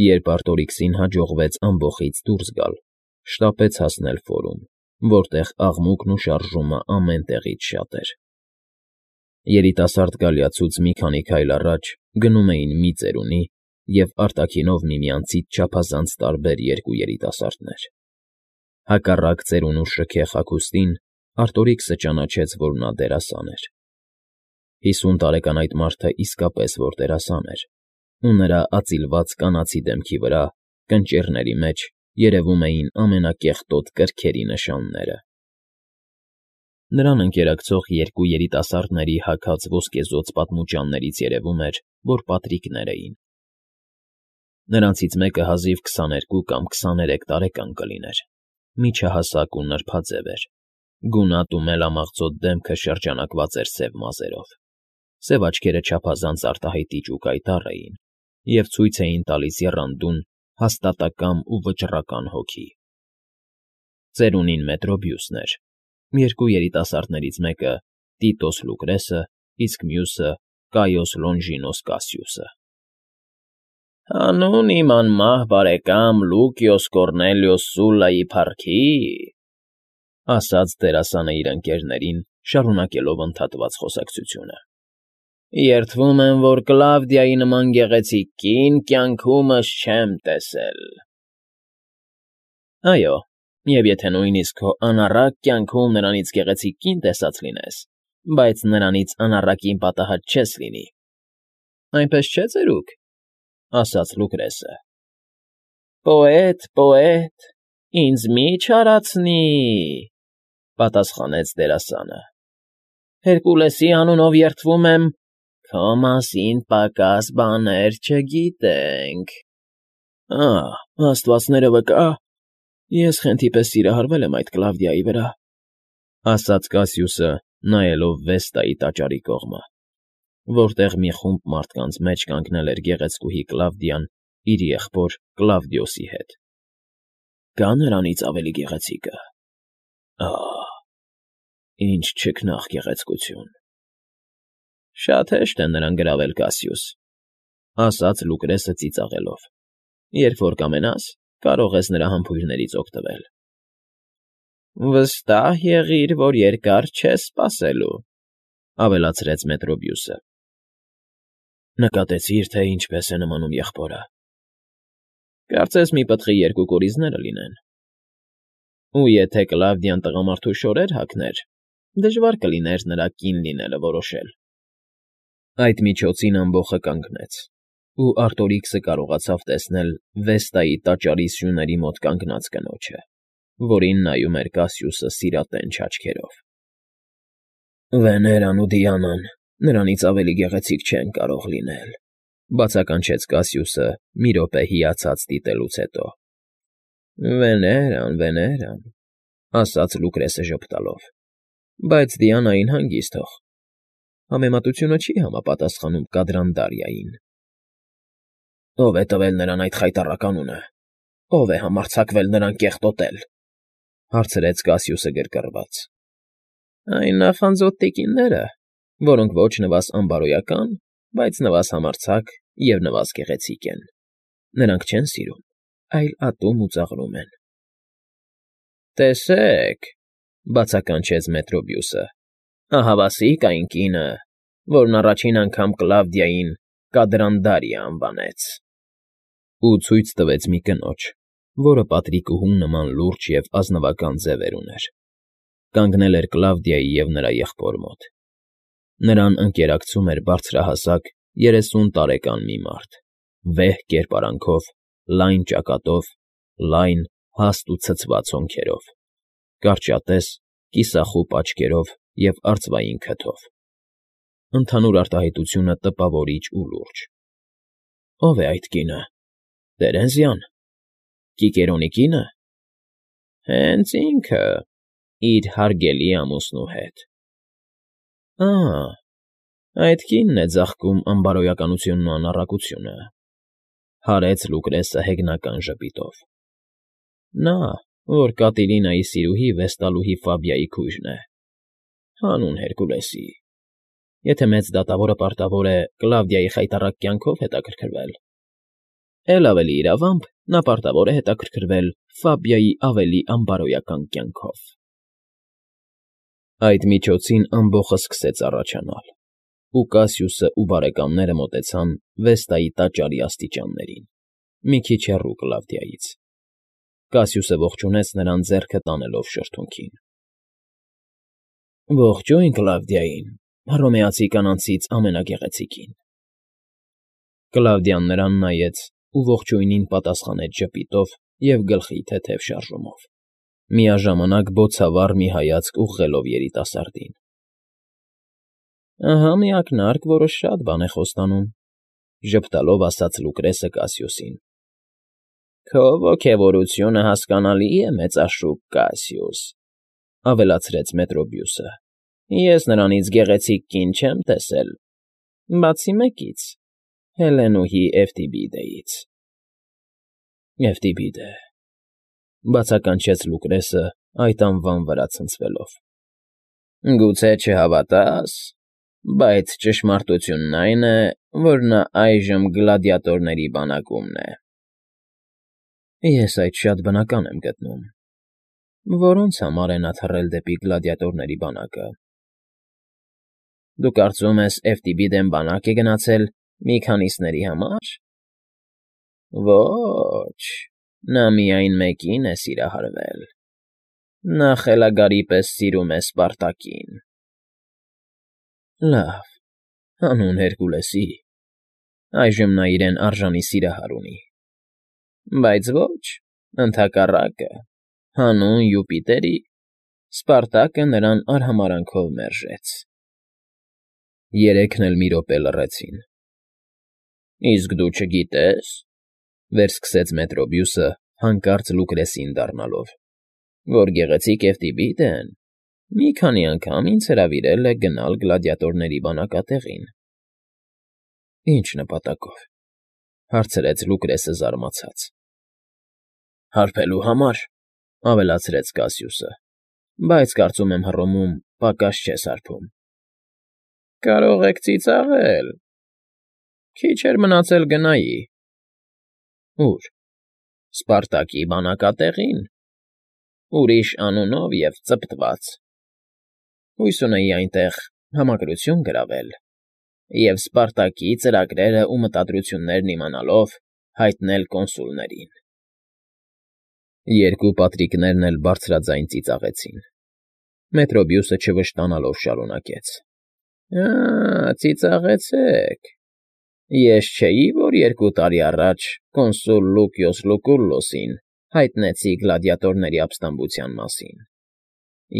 Երբ Արտորիքսին հաջողվեց ամբոխից դուրս գալ, շտապեց հասնել Ֆորում, որտեղ աղմուկն ու շարժումը ամեն տեղից շատ էր։ Երիտասարդ գալիացուց մի քանի քայլ առաջ գնում էին մի ծերունի և արտաքինով միմյանցից չափազանց տարբեր երկու երիտասարդներ։ Հակառակ ծերունու շքեղ հագուստին Արտորիքսը ճանաչեց, որ նա դերասան էր։ 50 տարեկան այդ մարդը իսկապես որ դերասան էր, ու նրա ածիլված կանացի դեմքի վրա, կնճիռների մեջ, երևում էին ամենակեղտոտ կրքերի նշանները։ Նրան ընկերակցող երկու երիտասարդների հագած ոսկեզօծ պատմուճաններից երևում էր, որ պատրիկներ էին։ Նրանցից մեկը հազիվ 22 կամ 23 տարեկան կլիներ, միջահասակ ու նրբաձև էր, գունատ ու մելամաղձոտ դեմքը շրջանակված էր սև մազերով, սև աչքերը չափազանց արտահայտիչ ու կայտառ էին և ցույց էին տալիս եռանդուն, հաստատակամ ու վճռական հոգի։ Ծերունին Մետրոբիուսն էր, երկու երիտասարդներից մեկը Տիտոս Լուկրեսը, իսկ մյուսը Կայոս Լոնժինոս Կասիուսը։ «Հանուն իմ անմահ բարեկամ Լուկիոս Կոռնելիոս Սուլլայի փառքի,֊ ասաց դերասանը իր ընկերներին, շարունակելով ընդհատված խոսակցությունը,֊ երդվում եմ, որ Կլավդիայի նման գեղեցիկ կին կյանքումս չեմ տեսել»։ «Այո, և եթե նույնիսկ քո անառակ կյանքում նրանից գեղեցիկ կին տեսած լինես, բայց նրանից անառակին պատահած չես լինի, այնպես չէ՞, ծերուկ,֊ ասաց Լուկրեսը։ «Պոետ, պոետ, ինձ մի՛ չարացնի,֊ պատասխանեց դերասանը։ Հերկուլեսի անունով երդվում եմ, քո մասին պակաս բաներ չգիտենք»։ Աստվածները վկա, ես խենթի պես սիրահարվել եմ այդ Կլավդիայի վրա,֊ ասաց Կասիուսը, նայելով Վեստայի տաճարի կողմը, որտեղ մի խումբ մարդկանց մեջ կանգնել էր գեղեցկուհի Կլավդիան իր եղբոր Կլավդիոսի հետ։ Կա՞ նրանից ավելի գեղեցիկը։ Ինչ չքնաղ գեղեցկություն։ Շատ հեշտ է նրան գրավել, Կասիուս,֊ ասաց Լուկրեսը ծիծաղելով։ Երբ որ կամենաս, կարող ես նրա համբույրներից օգտվել։ Վստահ եղիր, որ երկար չես սպասելու,֊ ավելացրեց Մետրոբիուսը։ Նկատեցի՞ր, թե ինչպես է նմանում եղբորը։ Կարծես մի պտղի երկու կորիզները լինեն։ Ու եթե Կլավդիան տղամարդու շորեր հագներ, դժվար կլիներ նրա կին լինելը որոշել։ Այդ միջոցին ամբոխը կանգնեց, ու Արտորիքսը կարողացավ տեսնել Վեստայի տաճարի սյուների մոտ կանգնած կնոջը, որին նայում էր Կասիուսը սիրատենչ աչքերով։ Վեներան ու Դիանան նրանից ավելի գեղեցիկ չեն կարող լինել,֊ բացականչեց Կասիուսը մի րոպե հիացած դիտելուց հետո։ Վեներան,֊ ասաց Լուկրեսը ժպտալով,֊ բայց Դիանային հանգիստ թող։ Համեմատությունը չի համապատասխանում Կադրանդարիային։ Ո՞վ է տվել նրան այդ խայտառակ անունը։ Ո՞վ է համարձակվել նրան կեղտոտել,֊ հարցրեց Կասիուսը գրգռված։ Այն նախանձոտ տիկինները, որոնք ոչ նվազ անբարոյական, բայց նվազ համարձակ և նվազ գեղեցիկ են։ Նրանք չեն սիրում, այլ ատում ու ծաղրում են։ Տեսեք,֊ բացականչեց Մետրոբիուսը,֊ ահավասիկ այն կինը, որն առաջին անգամ Կլավդիային Կադրանդարիա անվանեց։ Ու ցույց տվեց մի կնոջ, որը պատրիկուհու նման լուրջ և ազնվական ձևեր ուներ։ Կանգնել էր Կլավդիայի և նրա եղբոր մոտ։ Նրան ընկերակցում էր բարձրահասակ 30 տարեկան մի մարդ, վեհ կերպարանքով, լայն ճակատով, լայն, հաստ ու ցցված հոնքերով, կարճատես, կիսախուպ աչքերով և արծվային քթով։ Ընդհանուր արտահայտությունը տպավորիչ ու լուրջ։ Ո՞վ է այդ կինը։ Տերենզիա՞ն։ Կիկերոնի կի՞նը։ Հենց ինքը, իր հարգելի ամուսնու հետ։ Այդ կինն է ձաղկում անբարոյականությունն ու անառակությունը,֊ հարեց Լուկրեսը հեգնական ժպիտով։ Նա, որ Կատիլինայի սիրուհի Վեստալուհի Ֆաբիայի քույրն է։ Հանուն Հերկուլեսի։ Եթե մեծ դատավորը պարտավոր է Կլավդիայի խայտառակ կյանքով հետաքրքրվել, Էլ ավելի իրավամբ նա պարտավոր է հետաքրքրվել Ֆաբիայի ավելի անբարոյական կյանքով։ Այդ միջոցին ամբոխը սկսեց առաջանալ, ու Կասիուսն ու բարեկամները մոտեցան Վեստայի տաճարի աստիճաններին, մի քիչ հեռու Կլավդիայից։ Կասիուսը ողջունեց նրան ձեռքը տանելով շրթունքին։ Ողջույն Կլավդիային, հռոմեացի կանանցից ամենագեղեցիկին։ Կլավդիան նրան նայեց ու ողջույնին պատասխանեց ժպիտով և գլխի թեթև շարժումով, միաժամանակ բոցավառ մի հայացք ուղղելով երիտասարդին։ Ահա մի ակնարկ, որը շատ բան է խոստանում,֊ ժպտալով ասաց Լուկրեսը Կասիուսին։ Քո ոգևորությունը հասկանալի է, մեծաշուք Կասիուս,֊ ավելացրեց Մետրոբիուսը։ Ես նրանից գեղեցիկ կին չեմ տեսել, բացի մեկից՝ Հելենուհի Էվտիբիդեից։ Էվտիբիդե,֊ բացականչեց Լուկրեսը այդ անվան վրա ցնցվելով։ Գուցե չհավատաս, բայց ճշմարտությունն այն է, որ նա այժմ գլադիատորների բանակումն է։ Ես այդ շատ բնական եմ գտնում։ Որոնց համար է նա թռել դեպի գլադիատորների բանակը։ Դու կարծում ես Էվտիբիդեն բանակ է գնացել մի քանիսների համար։ Ոչ, նա միայն մեկին է սիրահարվել։ Նա խելագարի պես սիրում է Սպարտակին։ Լավ, հանուն Հերկուլեսի, այժմ նա իրեն արժանի սիրահար ունի։ Բայց ոչ, ընդհակառակը, հանուն Յուպիտերի, Սպարտակը նրան արհամարհանքով մերժեց։ Երեքն էլ մի րոպե լռեցին։ Իսկ դու չգիտե՞ս,֊ վերսկսեց Մետրոբիուսը, հանկարծ Լուկրեսին դառնալով,֊ որ գեղեցիկ Էվտիբիդեն մի քանի անգամ ինձ հրավիրել է գնալ գլադիատորների բանակատեղին։ Ինչ նպատակով,֊ հարցրեց Լուկրեսը զարմացած։ Հարբելու համար,֊ ավելացրեց Կասիուսը,֊ բայց կարծում եմ Հռոմում պակաս չես հարբում։ Կարող եք ծիծաղել։ Քիչ էր մնացել գնայի։ Ո՞ւր։ Սպարտակի բանակատեղին։ Ուրիշ անունով և ծպտված։ Հույս ունեի այնտեղ համակրություն գրավել և Սպարտակի ծրագրերն ու մտադրություններն իմանալով հայտնել կոնսուլներին։ Երկու պատրիկներն էլ բարձրաձայն ծիծաղեցին։ Մետրոբիուսը չվշտանալով շարունակեց. Ծիծաղեցեք։ Ես չէի, որ 2 տարի առաջ կոնսուլ Լուկիոս Լուկուլլոսին հայտնեցի գլադիատորների ապստամբության մասին։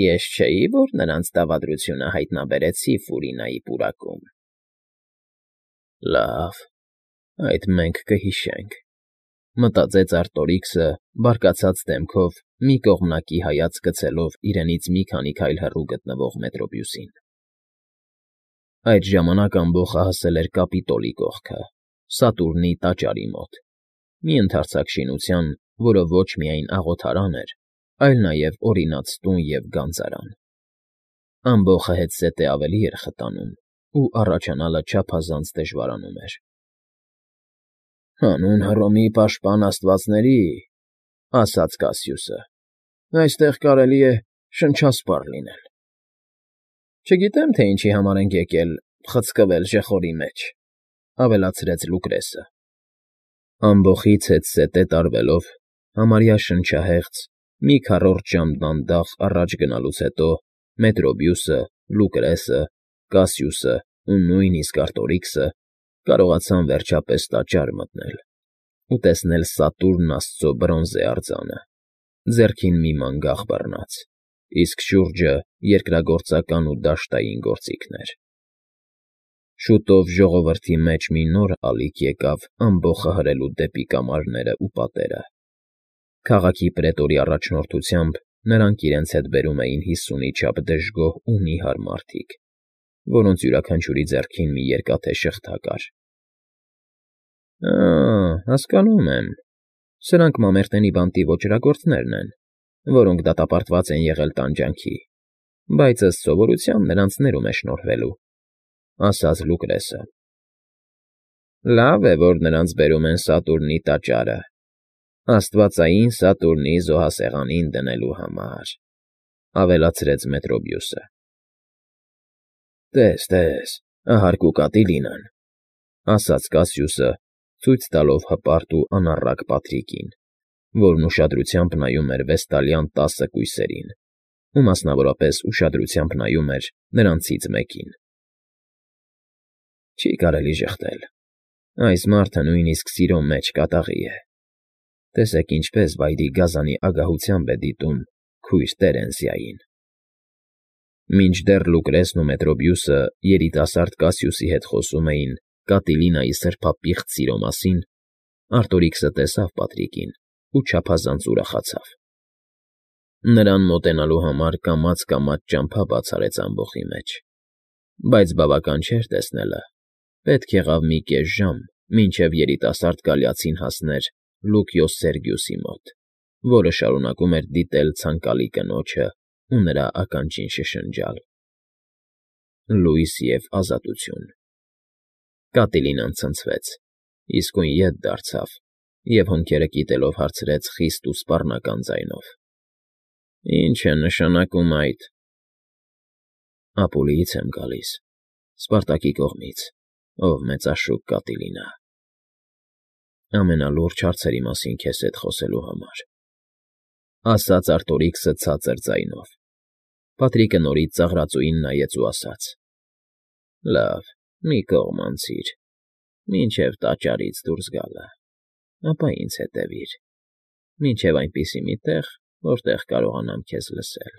Ես չէի, որ նրանց դավադրությունը հայտնաբերեցի Ֆուրինայի պուրակում։ Լավ, այդ մենք կհիշենք,֊ մտածեց Արտորիքսը, բարկացած դեմքով մի կողմնակի հայացք գցելով իրենից մի քանի քայլ հեռու գտնվող Մետրոբիուսին։ Այդ ժամանակ ամբոխը հասել էր Կապիտոլի կողքը, Սատուրնի տաճարի մոտ, մի ընդարձակ շինության, որը ոչ միայն աղոթարան էր, այլ նաև օրինաց տուն և գանձարան։ Ամբոխը հետզհետե ավելի էր խտանում, ու առաջանալը չափազանց դժվարանում էր։ Հանուն Հռոմի պաշտպան աստվածների,֊ ասաց Կասիուսը,֊ այստեղ կարելի է շնչասպառ լինել։ Չգիտեմ, թե ինչի համար ենք եկել խցկվել ժეხորի մեջ,֊ ավելացրեց Լուկրեսը։ Ամբոխից հետզհետե տարվելով, համարյա շնչահեղձ, մի քառորդ ժամ դանդաղ առաջ գնալուց հետո Մետրոբիուսը, Լուկրեսը, Կասիուսը ու նույնիսկ Արտորիքսը կարողացան վերջապես տաճար մտնել ու տեսնել Սատուրն աստծո բրոնզե արձանը, ձեռքին մի մանգաղ բռնած, իսկ շուրջը երկրագործական ու դաշտային գործիքներ։ Շուտով ժողովրդի մեջ մի նոր ալիք եկավ ամբոխը հրելու դեպի կամարներն ու պատերը։ Քաղաքի պրետորի առաջնորդությամբ նրանք իրենց հետ բերում էին 50-ի չափ դժգոհ ու նիհար մարդիկ, որոնց յուրաքանչյուրի ձեռքին մի երկաթե շղթա կար։ Հասկանում եմ, սրանք Մամերտենի բանտի ոճրագործներն են, որոնք դատապարտված են եղել տանջանքի, բայց ըստ սովորության նրանց ներում է շնորհվելու,֊ ասաց Լուկրեսը։ Լավ է, որ նրանց բերում են Սատուրնի տաճարը, աստվածային Սատուրնի զոհասեղանին դնելու համար,֊ ավելացրեց Մետրոբիուսը։ Տես, ահարկու Կատիլինան,֊ ասաց Կասիուսը, ցույց տալով հպարտ ու անառակ Պատրիկին, որն ուշադրությամբ նայում էր վեստալյան 10 կույսերին, ու մասնավորապես ուշադրությամբ նայում էր նրանցից մեկին։ Չի կարելի ժխտել։ Այս մարդը նույնիսկ սիրո մեջ կատաղի է։ Տեսեք ինչպես վայրի գազանի ագահությամբ է դիտում քույր Տերենսիային։ Մինչդեռ Լուկրեսն ու Մետրոբիուսը երիտասարդ Կասիուսի հետ խոսում էին Կատիլինայի սրբապիղծ սիրո մասին, Արտորիքսը տեսավ Պատրիկին ու չափազանց ուրախացավ։ Նրան մոտենալու համար կամաց֊կամաց ճամփա բաց արեց ամբոխի մեջ, բայց բավական չէր տեսնելը, պետք եղավ մի կես ժամ, մինչև երիտասարդ կալիացին հասներ Լուկիոս Սերգիուսի մոտ, որը շարունակում էր դիտել ցանկալի կնոջը ու նրա ականջին շշնջալ. Լույս և ազատություն… Կատիլինան ցնցվեց, իսկույն ետ դարձավ և հոնքերը կիտելով հարցրեց խիստ ու սպառնական ձայնով. Ինչ է նշանակում այդ… Ապուլիից եմ գալիս, Սպարտակի կողմից, ով մեծաշուք Կատիլինա… Ամենալուրջ հարցերի մասին քեզ հետ խոսելու համար,֊ ասաց Արտորիքսը ցածր ձայնով։ Պատրիկը նորից ծաղրածուին նայեց ու ասաց. Լավ, մի կողմ անցիր, մինչև տաճարից դուրս գալը, ապա ինձ հետևիր, մինչև այնպիսի մի տեղ, որտեղ կարողանամ քեզ լսել։